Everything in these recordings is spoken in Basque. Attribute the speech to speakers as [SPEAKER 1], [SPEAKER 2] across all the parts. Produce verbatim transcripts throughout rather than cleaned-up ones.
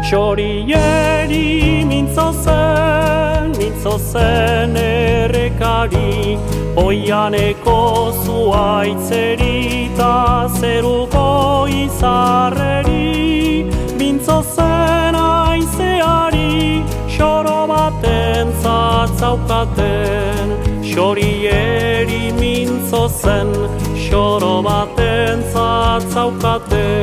[SPEAKER 1] Xorieri mintzo zen, mintzo zen errekari, oianeko zuaitzeri ta zeruko izarreri, mintzo zen aizeari, xoro baten zatzaukaten, xorieri mintzo zen, xoro baten zatzaukaten.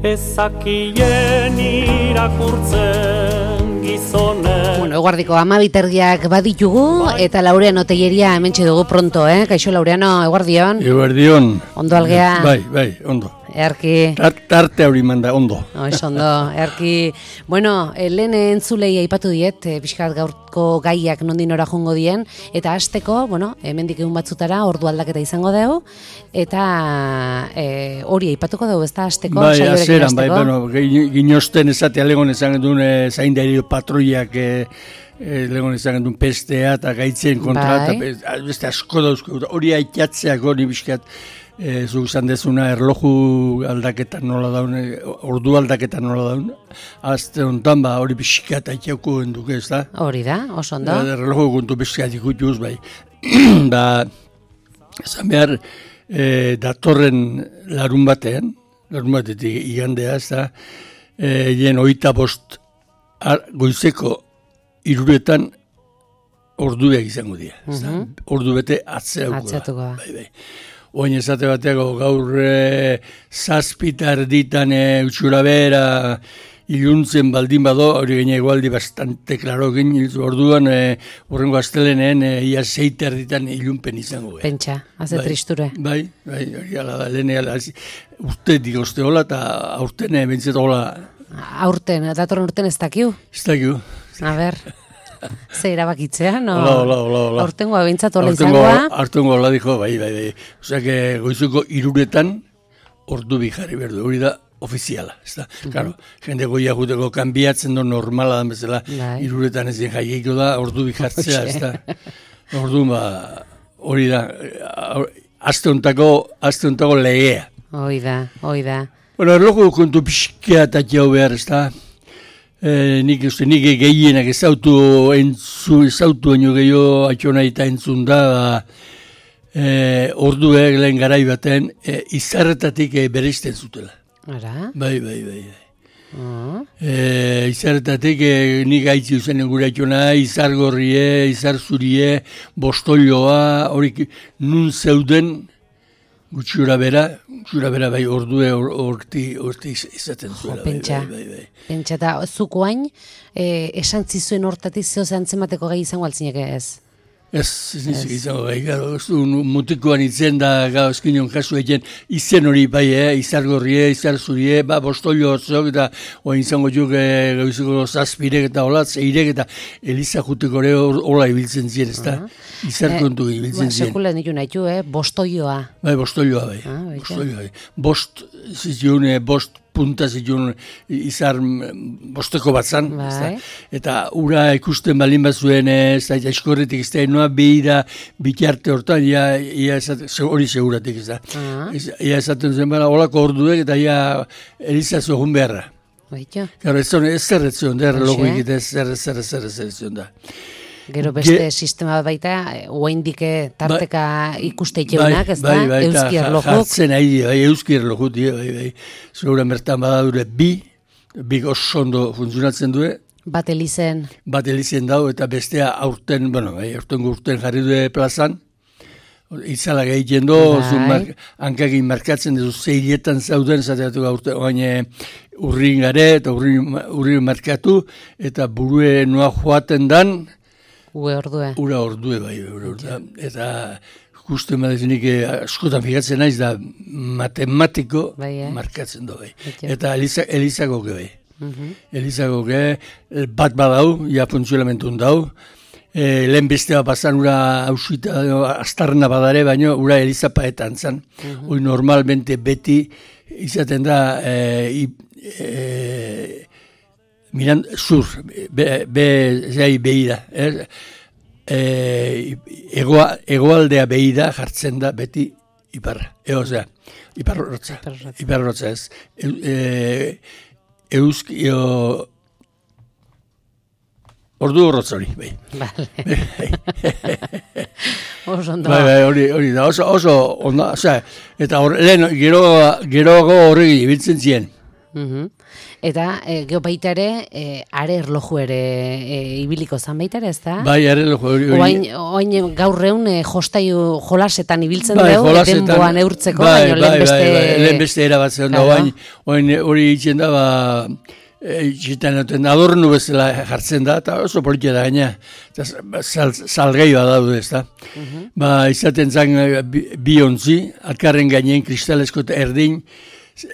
[SPEAKER 1] Ezakien irakurtzen gizonen.
[SPEAKER 2] Bueno, eguardiko amabitergiak baditugu, eta Laureano Telleria hementxe dugu pronto, eh? Kaixo Laureano, eguardion.
[SPEAKER 3] Eguardion.
[SPEAKER 2] Ondo algea.
[SPEAKER 3] Bai, bai, ondo.
[SPEAKER 2] Earki.
[SPEAKER 3] Tarte hori manda, ondo.
[SPEAKER 2] Oiz, ondo, earki. Bueno, lehen entzulei aipatu diet, e, pixkat gaurko gaiak nondin ora jongo dien, eta hasteko, bueno, hemendik egun batzutara ordu aldaketa izango dugu, eta e, hori aipatuko dugu, ez da hasteko?
[SPEAKER 3] Bai, azeran, bai, bueno, ginosten ezatea legon ezan duen e, zaindario patroiak e, e, legon ezan duen pestea eta gaitzen kontra, bai. Eta beste asko dauzko, hori aitatzeak hori bizkat, E, zuk zan dezuna erloju aldaketan nola daun, ordu aldaketan nola daun, azte honetan ba hori pixkat aitxauko enduke, ez da?
[SPEAKER 2] Hori da, oso ondo.
[SPEAKER 3] Ba, erloju guntu pixkat ikutuz, bai. Ba, zan behar, e, datorren larun batean, larun batetik igandea, ez da, e, jen oita bost ar, goizeko iruretan orduak izango dira, ez da? Mm-hmm. Ordu bete atzeatuko da. Bai, bai. Oin ezate bateako gaur e, zazpitar ditan e, utxura bera iluntzen baldin bado, hori gaina egualdi bastante klaro egin, orduan e, horrengo astelenen e, ia zeitar ditan ilunpen izango. E.
[SPEAKER 2] Pentsa, haze bai, tristure.
[SPEAKER 3] Bai, bai, hori ala da, lehene ala, urte digozte hola, eta aurten e, bentzet hola.
[SPEAKER 2] Aurten, datorren urten ez dakiu?
[SPEAKER 3] Ez dakiu.
[SPEAKER 2] A ber... Ze erabakitzea, no?
[SPEAKER 3] Hola, hola, hola, hola.
[SPEAKER 2] Aurtengoa bintzat hola izangoa.
[SPEAKER 3] Aurtengoa hola dijo, bai, bai, bai. Osea, que goizuko iruretan ordu bijarri berdu, hori da ofiziala, ez da? Uh-huh. Claro, jende goia juteko kanbiatzen do normala da bezala, bai. Iruretan ezin jaieiko da ordu bijartzea, ez da? Ordu, ba, hori da, azte hontako, azte hontako legea.
[SPEAKER 2] Hoi da, hoi da.
[SPEAKER 3] Bueno, erloju kontu pixkea eta jau behar, ez da? E, nik uste, nik gehienak ezautu entzu, ezautu eno gehiago atxona eta entzun da, e, orduek lehen garai baten, e, izarretatik e, bereizten zutela.
[SPEAKER 2] Ara?
[SPEAKER 3] Bai, bai, bai. bai.
[SPEAKER 2] Uh-huh.
[SPEAKER 3] E, izarretatik e, nik haitzi uzen gure atxona, izargorrie, izarzurie, bostolloa, horik nun zeuden, gutxura bera, gutxura bera bai ordue horti horti izaten zuela.
[SPEAKER 2] Pentsa, bai, bai, bai. Pentsa eta zukoain, eh, esan zizuen hortatik zeo zantzemateko gai izango altzinek ez?
[SPEAKER 3] Ez, ez nizik izango gai, gara, mutikoan itzen da gauzkinion kasu egin izen hori bai, eh, izargorrie, izarzurie, ba, bostollo hortzok, eta oin izango juk e, gauziko zazpirek eta hola, zeirek eta eliza juteko ere hola ibiltzen ziren, ez da? Uh-huh. Izarkontu eh, ibiltzen ziren.
[SPEAKER 2] Sekula nitu nahi du, eh, bostolloa.
[SPEAKER 3] Bai, bostolloa bai, ah, bostolloa bai. Bost, zizion, bost punta zituen izar bosteko bat zan, bai. Eta ura ikusten balin bat zuen, ez da, eskorretik ez da, noa behira bitarte hortan, ia, ia esat, hori seguratik ez da. Uh-huh. Ia esaten zen bera, holako orduek eta ia elizazu egun beharra.
[SPEAKER 2] Baita.
[SPEAKER 3] Gero, ez zon, ez zer ez zion, der logo egite, ez zer, zer, zer, zer, ez zion da.
[SPEAKER 2] Gero beste Ge... sistema bat baita, oaindike tarteka ba, ikuste ikeunak, ez da? Bai, bai, euski erlojuk.
[SPEAKER 3] Jartzen ari, bai, euski erlojut, bai, bai. Zure bertan badadure bi, bi oso ondo funtzionatzen du.
[SPEAKER 2] Bat elizen.
[SPEAKER 3] Bat elizen dau, eta bestea aurten, bueno, bai, aurten urten jarri du plazan. Itzala gehiten do, bai. Hankagin markatzen duzu zeirietan zauden, zateatu aurten, oain urrin gare, eta urrin, urrin markatu, eta burue noa joaten dan,
[SPEAKER 2] Ue ordue.
[SPEAKER 3] Ura ordue, bai, ura ordue. Eta justu emadezinik askotan fijatzen naiz da matematiko bai, eh? Markatzen du, bai. Eta Eliza, Elizako ge, bai. Uh-huh. Elizako ge, bat badau, ja funtzionamentun dau. E, lehen bestea pasan ura hausita, astarna badare, baina ura Eliza paetan zan. Uh-huh. Hoi normalmente beti izaten da, e, e, miran, zur, be, be, zai behida, eh? e, egoa, egoaldea behida jartzen da beti iparra, e, osea, iparrotza, iparrotza ez. E, euski, ordu horrotz hori, bai.
[SPEAKER 2] Bale. Oso ondo.
[SPEAKER 3] Bai, bai, hori, hori da, oso, oso, onda, oza, eta hor, lehen, gero, geroago horregi ibiltzen ziren.
[SPEAKER 2] Uh-huh. Eta, e, geho baita ere, e, are erloju ere e, ibiliko zan baita ere, ez da?
[SPEAKER 3] Bai, are erloju hori.
[SPEAKER 2] Oain, oain gaur egun e, jostaiu jolasetan ibiltzen
[SPEAKER 3] bai,
[SPEAKER 2] dugu, denboan eurtzeko,
[SPEAKER 3] bai,
[SPEAKER 2] baino
[SPEAKER 3] bai,
[SPEAKER 2] lehen beste...
[SPEAKER 3] Bai, bai, lehen beste erabatzen da, oain, oain hori itzen da, ba... Itxitan duten adornu bezala jartzen da, eta oso politia da gaina, sal, salgeioa daude ez da. Uh-huh. Ba, izaten zan bi, bi ontzi, alkarren gainean kristalesko eta erdin,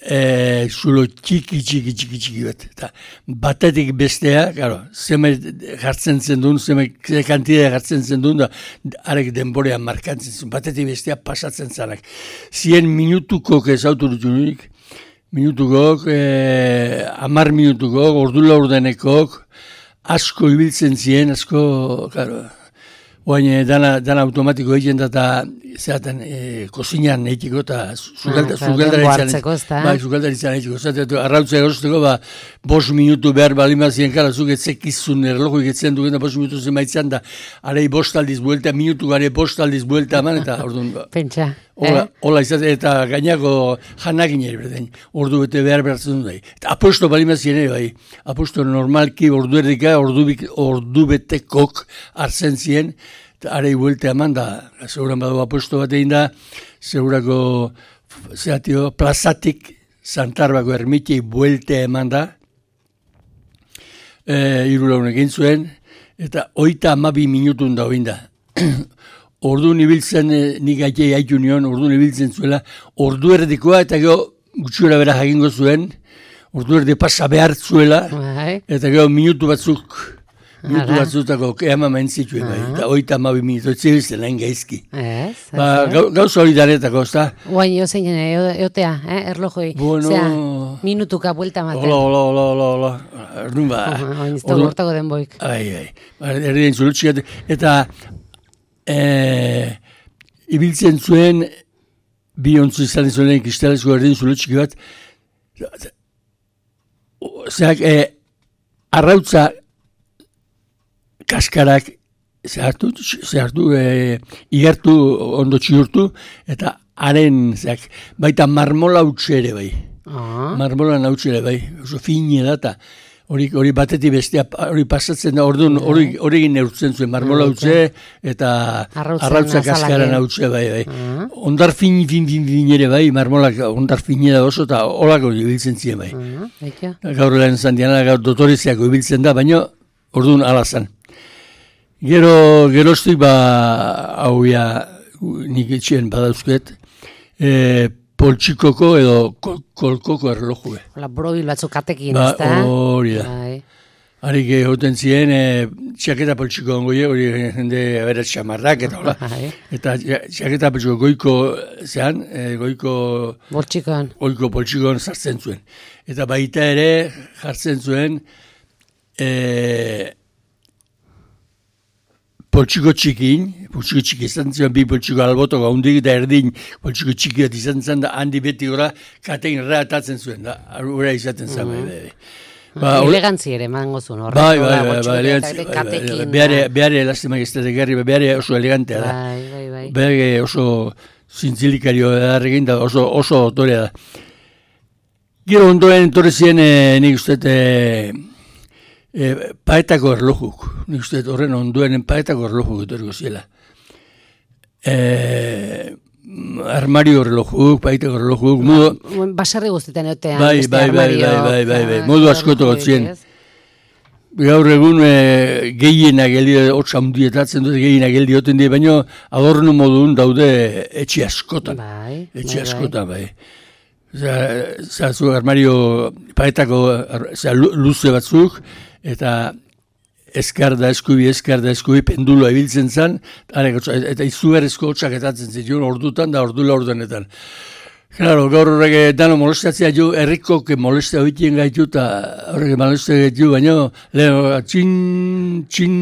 [SPEAKER 3] e, zulo txiki, txiki, txiki, txiki bat. Eta batetik bestea, claro, zeme jartzen zen duen, zeme kantidea jartzen zen duen, da arek denborean markantzen zen, batetik bestea pasatzen zanak. Zien minutuko ezautu dut unik, minutukok, eh, amar minutukok, ordu laurdenekok, asko ibiltzen ziren, asko, claro, oain dana, dana automatiko egiten da, eta zeaten, eh, kozinan egiteko, eta zugaldaritzean egiteko, zaten, arrautza erosteko, ba, bos minutu behar balima ziren, kara, zuk etzekizun erloju egitzen dugen, da bos minutu zenbaitzan, da, arei bost aldiz buelta, minutu gare bost aldiz buelta eman, eta orduan, ba.
[SPEAKER 2] Pentsa.
[SPEAKER 3] Hola, eh? hola izate, eta gainako janakin ere, berden, ordu bete behar behartzen dut, bai. Eta aposto balimazien ere, bai. Aposto normalki ordu erdika, ordu, ordu betekok hartzen ziren, eta arei buelte eman da, seguran badu aposto bat egin da, segurako, zehatio, plazatik, Santarbako ermitei buelte eman da, e, irula honek egin zuen, eta oita amabi minutun da hoin da. Ordu nibiltzen, nik aitei haitu nion, ordu nibiltzen zuela, ordu erdikoa, eta gero gutxura bera jakingo zuen, ordu erdi pasa behar zuela, eta gero minutu batzuk, minutu batzutako keama mentzituen, eta oita amabi minutu, etzibiltzen hain gaizki. Ba, gauza hori daretako, ez da?
[SPEAKER 2] Guain, jo zein, eotea, eh, erlojoi, zera, minutuka buelta maten.
[SPEAKER 3] Hola, hola, hola, hola, hola, erdun ba.
[SPEAKER 2] Oin, ez da gortako den boik.
[SPEAKER 3] Ai, ai, erdien zulutxik, eta... E, ibiltzen zuen bi ontzu izan zuen kristalesko erdin zulutxiki bat zeak e, arrautza kaskarak zehartu, zehartu e, igertu ondo txiurtu eta haren zeak baita marmola utxe ere bai ah. marmola nautxe ere bai oso fine data Hori, hori batetik bestea, hori pasatzen da, orduan hori egin neurtzen zuen, marmola utze eta arrautza kaskaran utze, bai, bai. Uh-huh. Ondar fin, fin, fin, fin ere, bai, marmolak ondar fine da oso, eta holako ibiltzen ziren, bai. Uh-huh. Gaur lehen zandiana, gaur dotoreziako ibiltzen da, baina orduan alazan. Gero, geroztik, ba, hau ya, nik etxien badauzket, e, poltsikoko edo kol, kolkoko erlojue.
[SPEAKER 2] Hola, brobil batzuk katekin,
[SPEAKER 3] ba,
[SPEAKER 2] ez da?
[SPEAKER 3] Hori da. Harik egoten ziren, e, txaketa poltsiko ongoie, hori jende berat xamarrak, eta hola. Eta txaketa poltsiko goiko, zean, e, goiko...
[SPEAKER 2] Poltsikoan.
[SPEAKER 3] Goiko poltsikoan sartzen zuen. Eta baita ere jartzen zuen, e, poltsiko txikin, poltsiko txiki izan ziren, bi poltsiko albotok haundik eta erdin poltsiko txiki bat izan zen, da handi beti gora katein reatatzen zuen, da, ura izaten zen. Mm-hmm. Ba,
[SPEAKER 2] elegantzi ere, mango zuen, horrek.
[SPEAKER 3] Bai, bai, bai, bai, elegantzi. Beare, lastima giztetek garri, beare oso elegantea da.
[SPEAKER 2] Bai, bai, bai.
[SPEAKER 3] Beare oso zintzilikario da, da oso, oso otorea da. Gero ondoen entorrezien, nik uste, E, paetako erlojuk, nik uste horren onduen paetako erlojuk etoriko ziela. E, armario erlojuk, paetako erlojuk, modu...
[SPEAKER 2] Basarri guztetan eotean,
[SPEAKER 3] bai,
[SPEAKER 2] beste
[SPEAKER 3] bai,
[SPEAKER 2] armario...
[SPEAKER 3] Bai, bai, bai, bai, modu askoto gotzien. Gaur egun e, gehienak geldi, hotza hundietatzen dute gehienak geldi oten die, baina adorno modun daude etxe askotan. Bai, etxe askotan, bai. Zazu armario paetako luze batzuk, eta eskar da eskubi, eskar da eskubi, penduloa ibiltzen zen, eta izugarrizko hotxak etatzen zituen ordutan da ordula ordenetan. Claro, gaur horrek dano molestatzea jo, errikoke molestea hoitien gaitu, eta horrek molestea gaitu, baina lehen txin, txin,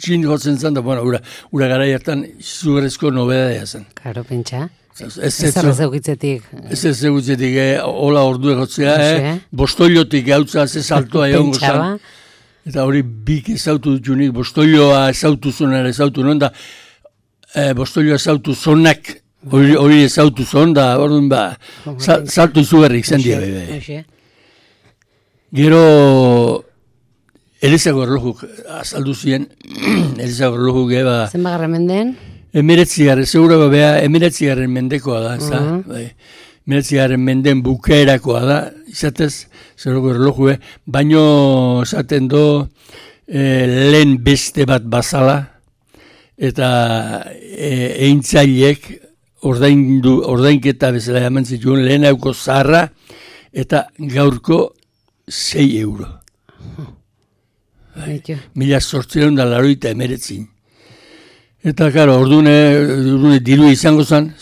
[SPEAKER 3] txin jotzen zen, da, bueno, ura, ura gara hartan izugarrizko nobedadea zen.
[SPEAKER 2] Karo, pentsa. Ez ez eukitzetik.
[SPEAKER 3] Ez ez eukitzetik, hola ordu egotzea, eh? Bostoiotik gautza ze saltoa egon gozan. Eta hori bik ezautu dut bostoioa ezautu zonera ezautu non da, bostoioa ezautu zonak, hori ezautu zon da, orduan ba, salto izugarrik zen dia, bebe. Gero, Elizako erlojuk azaldu ziren, Elizako erlojuk eba...
[SPEAKER 2] Zen bagarra menden?
[SPEAKER 3] Emeretzigarren, segurako beha, emeretzigarren mendekoa da, ez da? Emeretzigarren menden bukaerakoa da, izatez, segurako erlojue, baino esaten do lehen beste bat bazala, eta eintzailek ordainketa bezala jaman zituen lehen hauko zaharra, eta gaurko sei euro. Mila sortzeron da laroita emeretzin. Eta, karo, orduan diru izango zen,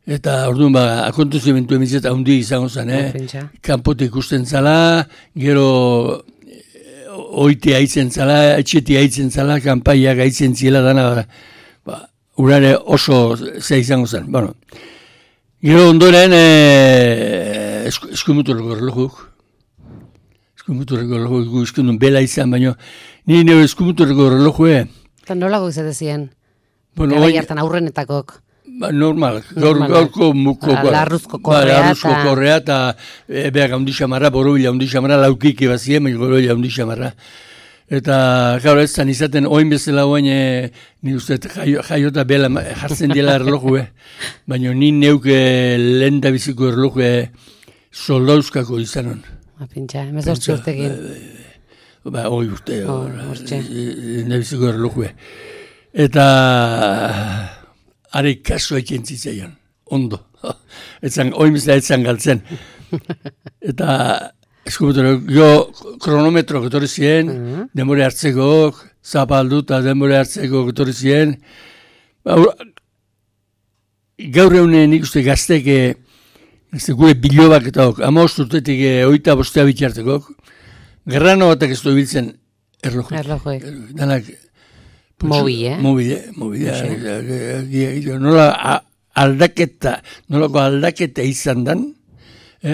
[SPEAKER 3] eta orduan ba, akontuzimentu emitzeta hundi izango zen, eh? Kanpotik ikusten zala, gero oite haitzen zala, etxeti haitzen zala, kanpaiak haitzen zila dana, ba, urare oso ze izango zen. Bueno, gero ondoren eh, eskumuturreko erlojuk, eskumuturreko erlojuk, eskundun bela izan, baina nire nire eskumuturreko erlojue,
[SPEAKER 2] eta nolako izate ziren? Bueno, gara hartan aurrenetakok.
[SPEAKER 3] Ba, normal, gaur, gaurko muko.
[SPEAKER 2] Ba, larruzko korrea.
[SPEAKER 3] Ba, larruzko korrea eta e, beha gaundi xamarra, borobila gaundi xamarra, laukik ebazien, borobila gaundi xamarra. Eta, gaur ez zan izaten, oin bezala oain, e, ni uste, jaio, jaiota bela jartzen dela erloju, baina ni neuke lehen da biziko erloju soldauzkako izanon.
[SPEAKER 2] Ba, pintxa, emezortzi urtekin.
[SPEAKER 3] Ba, hoi urte, nebiziko erlojue. Eta, are kaso ekin zitzaion, ondo. Etzan, hoi mizela etzan galtzen. Eta, eskubetor, jo kronometro getorri ziren, denbore hartzeko, zapaldu eta denbore hartzeko getorri ziren. Gaur eunen ikuste gazteke, gure bilobak eta ok, ama osturtetik oita bostea bitxarteko, Gerrano batak ez du biltzen erlojuek.
[SPEAKER 2] Erlojuek.
[SPEAKER 3] Danak...
[SPEAKER 2] Mobile, eh?
[SPEAKER 3] Mobile, mobile. Nola aldaketa, nolako aldaketa izan dan,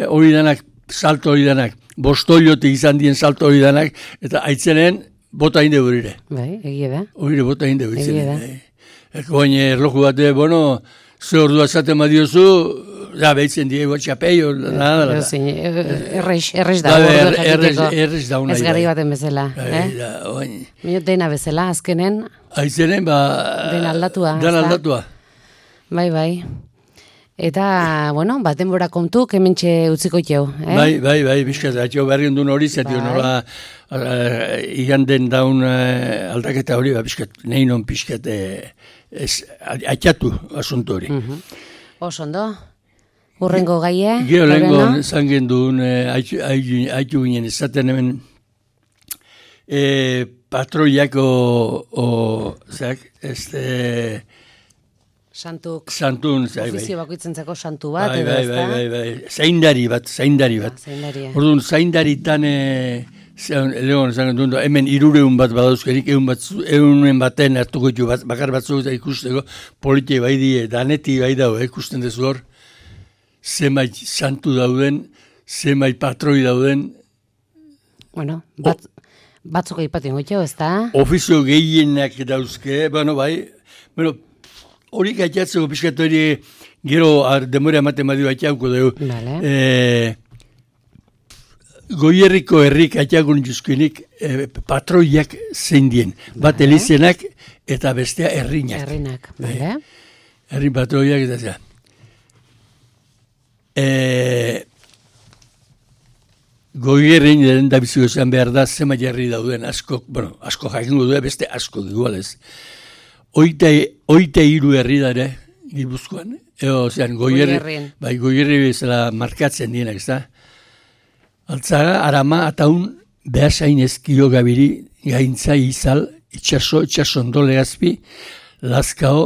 [SPEAKER 3] hori danak, salto hori danak, bostoiote izan dien salto hori danak, eta aitzenen bota inde horire.
[SPEAKER 2] Bai, egie da.
[SPEAKER 3] Horire bota inde horire. Egie da. Eko baina erloju bate, bueno, ze ordua zaten badiozu, da, behitzen diego txapeio, nada.
[SPEAKER 2] Errez, errez da.
[SPEAKER 3] Errez da unai.
[SPEAKER 2] Ez gari baten bezala. Mino dena bezala, azkenen.
[SPEAKER 3] Aizenen, ba...
[SPEAKER 2] Den aldatua.
[SPEAKER 3] Den aldatua.
[SPEAKER 2] Bai, bai. Eta, bueno, bat denbora kontu, kementxe utziko itxeu.
[SPEAKER 3] Bai, bai, bai, bizkat, atxo berriun duen hori, zeti honola iganden daun aldaketa hori, bizkat, nahi non bizkat, atxatu asunto hori.
[SPEAKER 2] Osondo. Urrengo gaie?
[SPEAKER 3] Gero lehenko zangen duen, haitu ginen izaten hemen, patroiako, zeak, este...
[SPEAKER 2] Santuk.
[SPEAKER 3] Santun, zai, bai.
[SPEAKER 2] Ofizio bakoitzen zako santu bat,
[SPEAKER 3] bai,
[SPEAKER 2] edo
[SPEAKER 3] bai,
[SPEAKER 2] ez da?
[SPEAKER 3] Bai, bai, bai, zaindari bat, zaindari bat.
[SPEAKER 2] Zaindaria.
[SPEAKER 3] Orduan, zaindaritan, legon, zangen duen, hemen irureun bat badauzkerik, eunen baten hartuko ditu, bakar batzuk eta ikusteko, politia bai die, daneti bai dago, ikusten dezu hor, zemait santu dauden, zemait patroi dauden.
[SPEAKER 2] Bueno, bat, batzuk aipatzen gotxo, ez da?
[SPEAKER 3] Ofizio gehienak dauzke, bueno, bai, bueno, hori gaitatzeko pixkat hori gero demora ematen badio atxauko dugu.
[SPEAKER 2] Vale.
[SPEAKER 3] E, goierriko herrik atxakun juzkinik e, patroiak zein dien. Bat vale. Elizenak eta bestea herrinak.
[SPEAKER 2] Herrinak, bale.
[SPEAKER 3] Herri patroiak eta zera. E, goierrin den da biziko zen behar da zema jarri dauden asko, bueno, asko jakingo du beste asko igualez. Oite, oite hiru herri dare, Gipuzkoan. Eo, zean, goierri, bai, goierri bezala markatzen dienak, ez da? Altzaga, Arama, Ataun, behasain ezkio gabiri, gaintza izal, itxaso, itxasondo legazpi, Lazkao,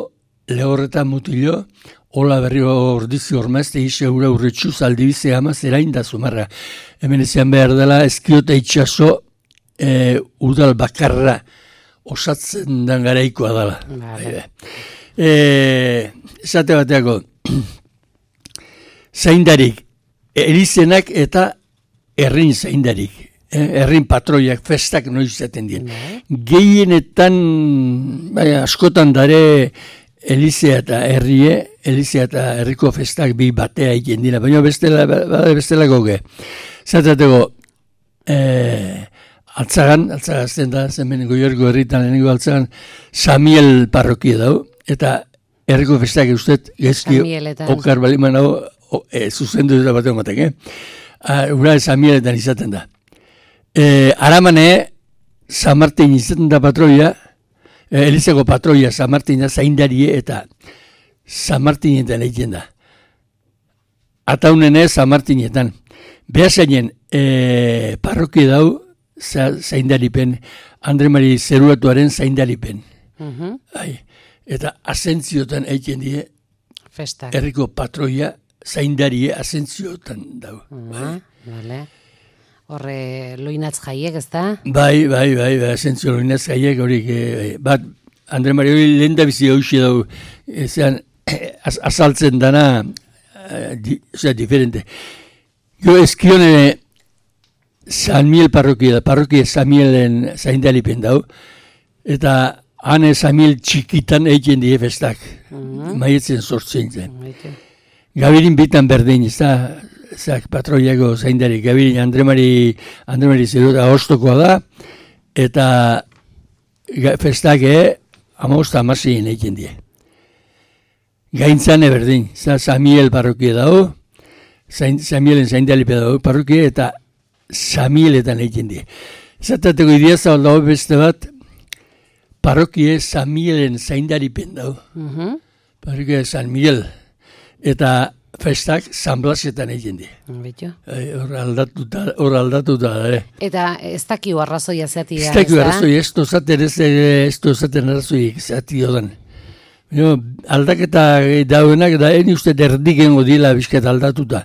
[SPEAKER 3] lehorreta mutilo, hola berri ordizi ormazte, ise ura urretxu, zaldibize ama, zerain da zumarra. Hemen ezean behar dela, ezkio eta itxaso, e, udal bakarra, osatzen dan garaikoa dela.
[SPEAKER 2] Vale.
[SPEAKER 3] E, esate bateako, zaindarik, elizenak eta herrin zaindarik. Herrin patroiak, festak noiz izaten dien. Gehienetan, bai, askotan dare elizea eta herrie, elizea eta herriko festak bi batea egin dira, baina bestela, bestela goge. Zatateko, eh, altzagan, altzagazten da, zemen goiorgo herritan lehenengo altzagan, Samiel parrokia dau, eta herriko festak eustet, gezki, okar baliman hau, e, zuzendu dira bateko matek, eh? Ura Samieletan izaten da. E, Aramane, San Martin izaten da patroia, e, Elizako patroia San Martina zaindarie eta San Martinetan egiten da. Ataunene San Martinetan. Behazainen e, parrokia dau za, zaindaripen, Andre Mari Zeruatuaren zaindaripen. Uh-huh. Eta asentziotan egiten die
[SPEAKER 2] festak.
[SPEAKER 3] Herriko patroia zaindarie asentziotan dau.
[SPEAKER 2] Uh-huh. Vale. Horre loinatz jaiek, ez da?
[SPEAKER 3] Bai, bai, bai, bai, asentzio loinatz jaiek, horik, eh, bat, Andre Mari hori lehen da bizi hausi dau, zean, az, azaltzen dana, eh, di, zera, diferente. Jo eskione San Miel parrokia da, parrokia San Mielen zaindalipen dau, eta hane San Miel txikitan egiten die festak, uh-huh. Maietzen sortzen zen. Uh-huh. Gabirin bitan berdin, ez da, zak patroiago zaindari, gabirin Andre Mari, Andre Mari Zeruta ahostokoa da, eta festak amabosta amasien egiten die. Gaintzane berdin, za Samiel parrokia dago, Samielen zaindalipe dago parrokia, eta Samieletan egiten die. Zatateko ideazabal dago beste bat, parrokia Samielen zaindaripen dago. Uh-huh. Parrokia San Miguel. Eta festak San Blasetan egin di. Hor aldatuta, hor aldatuta, eh.
[SPEAKER 2] Eta ez dakiu arrazoia zeati da,
[SPEAKER 3] ez dakiu arrazoia, ez dozaten ez, ez dozaten arrazoik zeati dodan. Aldaketa dauenak, da eni uste derdikengo dila bizket aldatuta.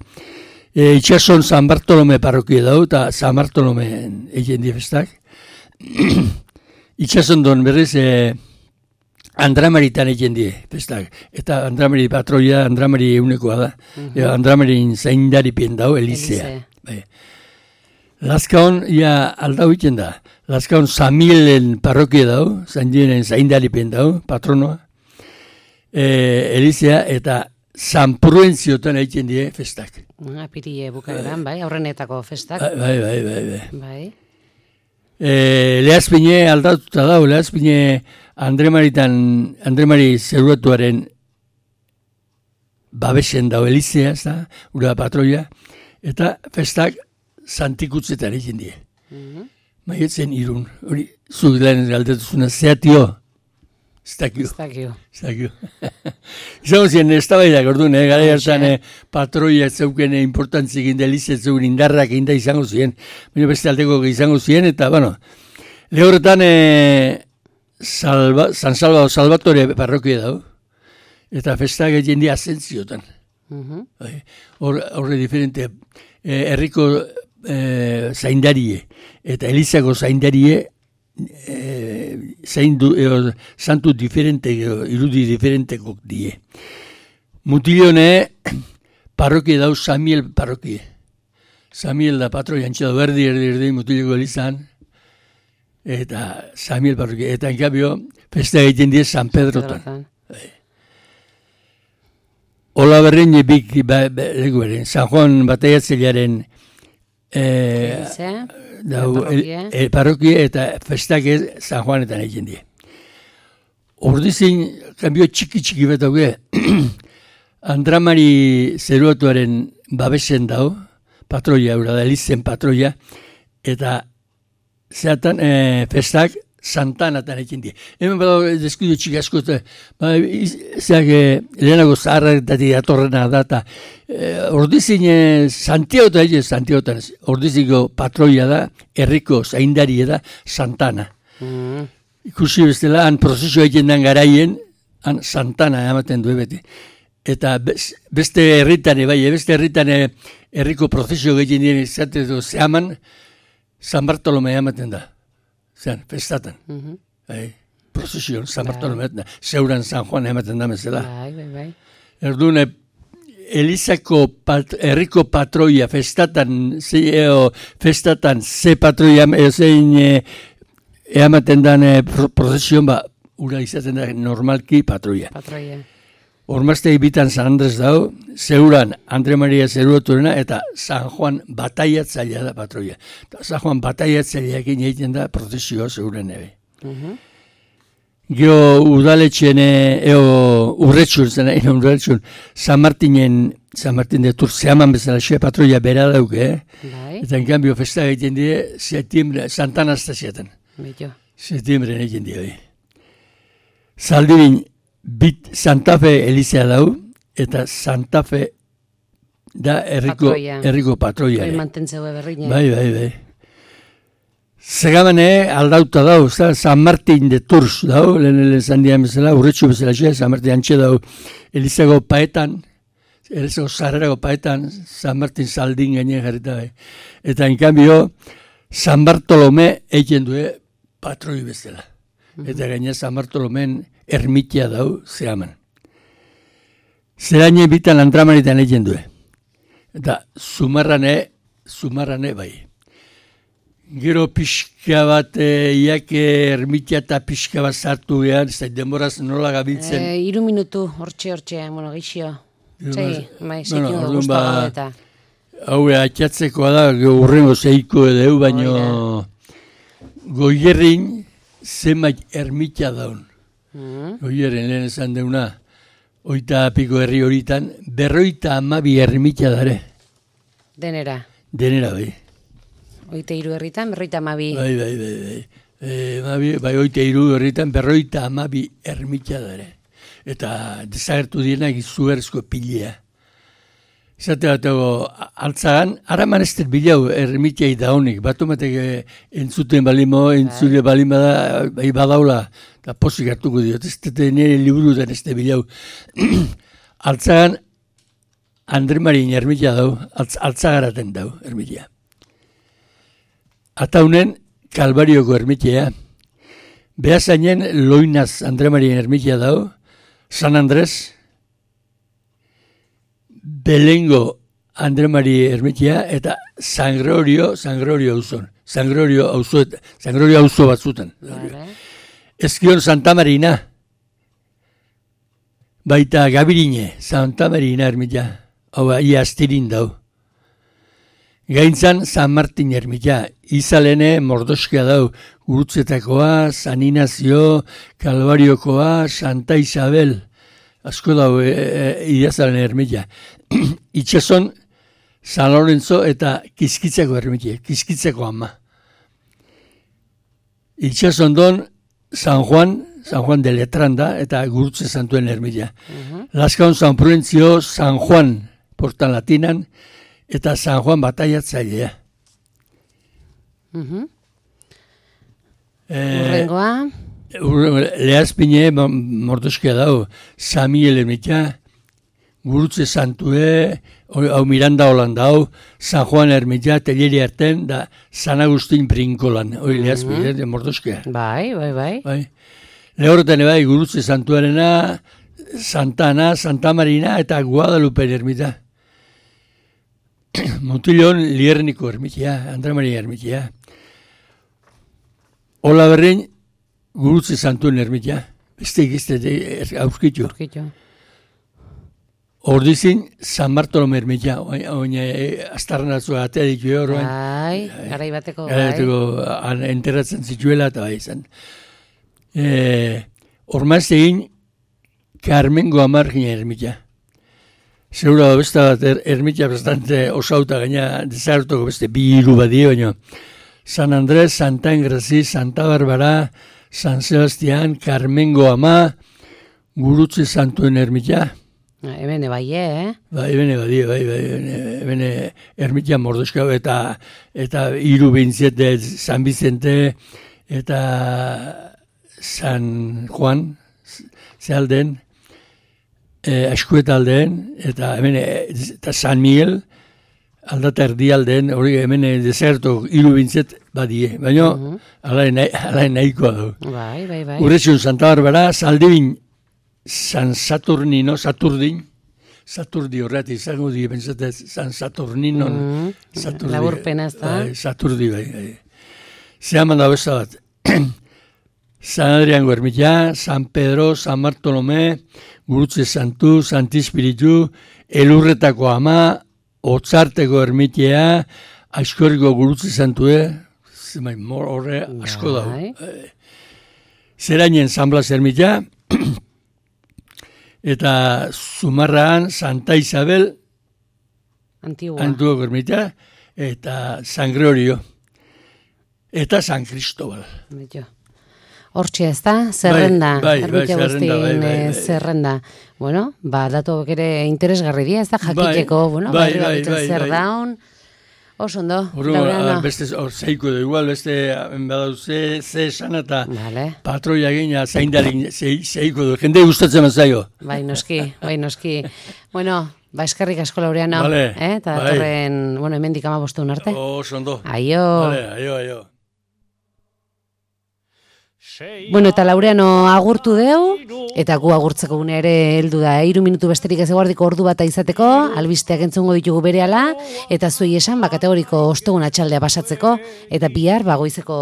[SPEAKER 3] E, itxason San Bartolome parrokia dau, eta San Bartolome egin di festak. Itxason don berriz, e, Andramaritan egin die, festak. Eta Andramari patroia, Andramari eunekoa da. Uh-huh. Andramarin zaindaripien dau, Elizea. Bai. Lazkaon, ja, aldau egin da. Lazkaon Samielen parrokia dau, zaindienen zaindaripien dau, patronoa. E, Elizea eta San Prudentziotan egin die festak.
[SPEAKER 2] Ah, pirie bukaeran, bai, aurrenetako festak.
[SPEAKER 3] Bai, bai, bai, bai.
[SPEAKER 2] Bai.
[SPEAKER 3] E, Lehazpine aldatuta dau, Lehazpine Andre Maritan, Andre Mari Zeruatuaren babesen dau Elizea, ez da, ura patroia, eta festak Santikutzetan egin die. Mm-hmm. Maietzen irun, hori, zuk lehen galdetuzuna, zeatio, ez dakio.
[SPEAKER 2] Ez dakio.
[SPEAKER 3] Ez dakio. Izango ziren, ez da baidak, orduan, eh, gara hartan eh, patroia zeuken importantzik inda Elizea zeuken indarrak inda izango ziren, baina beste alteko izango ziren, eta, bueno, lehorretan, eh, Salva, San Salvador Salvatore parrokia dago, eta festak egin di asentziotan. Uh-huh. Horre diferente, eh, herriko eh, zaindarie, eta Elizako zaindarie, eh, zaindu, eh, santu diferente, irudi diferentekok die. Mutilione parrokia dago Samiel parrokia. Samiel da patroi antxedo berdi, erdi, erdi, mutileko Elizan, eta Samiel parrokia, eta enkabio, festa egiten die San Pedrotan. Ola berrein ebik, ba, ba, berrein, San Juan bataiatzelearen eh, parrokia. E, parrokia eta festak San Juanetan egiten die. Ordizin, kambio txiki-txiki bat auge, Andramari Zeruatuaren babesen dau, patroia, ura da, Elizen patroia, eta zeatan eh, festak Santanatan egin die. Hemen badago deskudio txiki asko, ba, zeak eh, lehenago zaharretati atorrena data. Eh, ordizin eh, Santiagotan egin, Santiagotan, ordiziko patroia da, herriko zaindaria da, Santana. Mm. Ikusi bestela, han prozesua egin den garaien, han Santana ematen du beti. Eta beste herritane, bai, beste herritane herriko prozesio egin dien izateko zehaman, San Bartolome ematen da, zean, festatan. Uh-huh. Bai, prozesion, San Bartolome ematen da, zeuran San Juan ematen da mesela.
[SPEAKER 2] Bai, bai, bai.
[SPEAKER 3] Erdune, Elizako pat, herriko patroia festatan, ze, eo, festatan ze patroia zein e, eamaten dan e, prozesion, ba, ura izaten da normalki patroia.
[SPEAKER 2] Patroia.
[SPEAKER 3] Ormaztei bitan San Andres dau, zeuran Andre Maria Zeruoturena eta San Juan bataiatzailea da patroia. Eta San Juan bataiatzaileakin egiten da prozesioa zeuren ebe. Uh-huh. Geo udaletxen, eo urretxun, zena, ino urretxun, San Martinen, San Martin de Turzeaman bezala xe patroia bera dauke, eh? Bai. Eta en cambio festa egiten die, septiembre, Santa Anastasiatan. Bito. Septiembre egiten die, bai. Zaldibin, bit Santa Fe Elizea dau, eta Santa Fe da herriko patroia. Herriko patroia.
[SPEAKER 2] Bai, mantentzeue berrine.
[SPEAKER 3] Bai, bai, bai. Segamane aldauta dau, San Martin de Tours dau, lehen zan dian bezala, urretxu bezala xe, San Martin antxe dau, Elizago paetan, Elizago zarrerago paetan, San Martin Saldin gainen jarrita bai. Eta en cambio, San Bartolome egin due patroi bezala. Eta gaina San Bartolomen ermitia dau, zehaman. Zeraine bitan Andramaritan egin due. Eta zumarrane, zumarrane bai. Gero pixka bat, e, iake ermitia eta pixka bat zartu gehan, ez da demoraz nola gabiltzen.
[SPEAKER 2] E, iru minutu, hortxe, hortxe, bueno, gixio. Zei, mai, zeikin bueno, dugu ba, eta.
[SPEAKER 3] Hau, atxatzekoa da, urrengo zeiko edo, baino Goierrin zemait ermitia daun. Mm. Goierrin lehen esan deuna, oita piko herri horitan, berroita amabi ermitia dare.
[SPEAKER 2] Denera.
[SPEAKER 3] Denera, bai.
[SPEAKER 2] Oite iru herritan, berroita amabi.
[SPEAKER 3] Bai, bai, bai, bai. E, mabi, bai, oite iru herritan, berroita amabi ermitia dare. Eta desagertu dienak izuberzko pilea. Zate bat ego, altzagan, haraman ez dut bilau ermitiai da honik. Batu matek entzuten balimo, entzule balima da, bai badaula, eta posik hartuko diot. Ez dut nire liburutan ez dut bilau. Altzagan, Andre Marin ermitia dau, altz, altzagaraten dau ermitia. Ataunen, Kalbarioko ermitia. Behazainen, Loinaz Andre Marien ermitia dau. San Andres, Belengo Andre Marie ermitia, eta San Gregorio, San Gregorio auzon. San Gregorio auzo, San Gregorio auzo batzuten. Vale. Ezkion Santa Marina. Baita Gabirine, Santa Marina ermitia. Hau, ia astirin dau. Gaintzan San Martin ermitia, izalene Mordoskia dau, Gurutzetakoa, San Inazio, Kalbariokoa, Santa Isabel, asko dau e, e, idazalen ermitia. Itxason San Lorenzo eta Kiskitzeko ermitia, Kiskitzeko ama. Itxason don San Juan, San Juan de Letranda eta Gurutze Santuen ermitia. Uh-huh. Laskaon San Prudentzio, San Juan, portan latinan, eta San Juan bataiatzailea.
[SPEAKER 2] Uh-huh. Urrengoa?
[SPEAKER 3] Lehazpine Mordoskia dau, Samiel ermitia, Gurutze Santue, hau Miranda Holanda hau, San Juan ermitia, Teleri arten, da San Agustin Brinkolan, hori Lehazpine, uh-huh. Mordoskia.
[SPEAKER 2] Bai, bai, bai.
[SPEAKER 3] bai. Lehorretan bai, Gurutze Santuarena, Santana, Santa Marina eta Guadalupe ermitia. Mutilon Lierniko ermitia, Andre Maria ermitia. Ola berrein, Gurutze Santuen ermitia. Beste egizte auskitxo. Ordizin, San Bartolome ermitia. Oina, astarren atzua atea ditu horrean.
[SPEAKER 2] Bai, garai bateko.
[SPEAKER 3] Garai bateko, enterratzen zituela eta bai izan. Hormaz egin, Carmengo Amargina ermitia. Segura da beste bat, er, ermitia bastante osauta gaina desartoko beste bi hiru badie, baina San Andrés, Santa Engrazi, Santa Barbara, San Sebastián, Carmengo Ama, Gurutze Santuen ermitia.
[SPEAKER 2] Ebene bai, eh?
[SPEAKER 3] Bai, ebene badie, bai, bai, ebene ermitia Mordoskau eta eta hiru bintzete, San Vicente eta San Juan, zehalden, Eh, Askueta aldeen, eta hemen eta San Miguel, aldata erdi aldeen, hori hemen deserto hiru bintzet badie, baina uh-huh. alain nahikoa du.
[SPEAKER 2] Bai, bai, bai.
[SPEAKER 3] Urretxun Santa Barbara, Zaldibin San Saturnino, Saturdin, Saturdi horret izango di, bentsatez, San Saturninon.
[SPEAKER 2] Mm,
[SPEAKER 3] Saturdi,
[SPEAKER 2] laburpena ez da.
[SPEAKER 3] Bai, Saturdi, bai. bai. Zehaman da besta bat. San Adriango ermitea, San Pedro, San Bartolome, Gurutze Santu, Santi Espiritu, Elurretako ama, Otzarteko ermitea, Aizkorriko Gurutze Santue, zemai, mor horre asko dago. E, Zerainen San Blas ermitea, eta Zumarraan Santa Isabel,
[SPEAKER 2] Antigua.
[SPEAKER 3] Antiguoko ermitea, eta San Gregorio, eta San Cristobal.
[SPEAKER 2] Beto. Hortxe ez da, zerrenda,
[SPEAKER 3] bai, bai,
[SPEAKER 2] ermitea
[SPEAKER 3] bai,
[SPEAKER 2] guztien
[SPEAKER 3] bai, bai, bai.
[SPEAKER 2] zerrenda. Bueno, ba, datuak ere interesgarri dira, ez da, jakiteko,
[SPEAKER 3] Bai,
[SPEAKER 2] bueno,
[SPEAKER 3] bai,
[SPEAKER 2] barri
[SPEAKER 3] bai,
[SPEAKER 2] bakitzen
[SPEAKER 3] bai,
[SPEAKER 2] zer
[SPEAKER 3] bai.
[SPEAKER 2] daun. Oso ondo,
[SPEAKER 3] Horo,
[SPEAKER 2] Laureano.
[SPEAKER 3] beste, hor zeiko da, igual, beste, badau, ze, ze esan eta
[SPEAKER 2] Vale.
[SPEAKER 3] patroia gina, zaindarik, ze, zeiko du, jende gustatzen mazaio.
[SPEAKER 2] Bai, noski, bai, noski. Bueno, ba, eskerrik asko Laureano,
[SPEAKER 3] Vale,
[SPEAKER 2] eh? Eta
[SPEAKER 3] bai.
[SPEAKER 2] datorren, bueno, hemendik ama bosteun arte.
[SPEAKER 3] Oso ondo.
[SPEAKER 2] Aio.
[SPEAKER 3] Vale, aio, aio.
[SPEAKER 2] Bueno, eta Laureano agurtu deu, eta gu agurtzeko gune ere heldu da, hiru minutu besterik ez eguardiko ordu bata izateko, albisteak entzungo ditugu berehala, eta zuei esan, ba, kategoriko ostegun atxaldea pasatzeko, eta bihar, ba, goizeko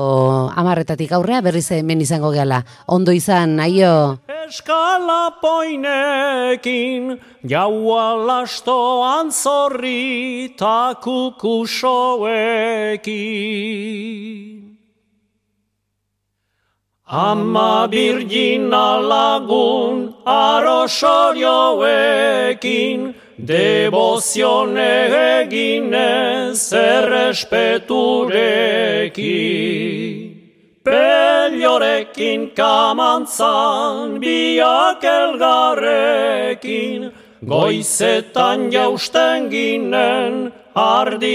[SPEAKER 2] amarretatik aurrea berriz hemen izango gehala. Ondo izan, aio!
[SPEAKER 1] Eskala poinekin, jaua lastoan zorri, ta kukusoekin. Ama birgina lagun arosorioekin, devozione eginez errespeturekin. Peliorekin kamantzan biak elgarrekin, goizetan jausten ginen ardi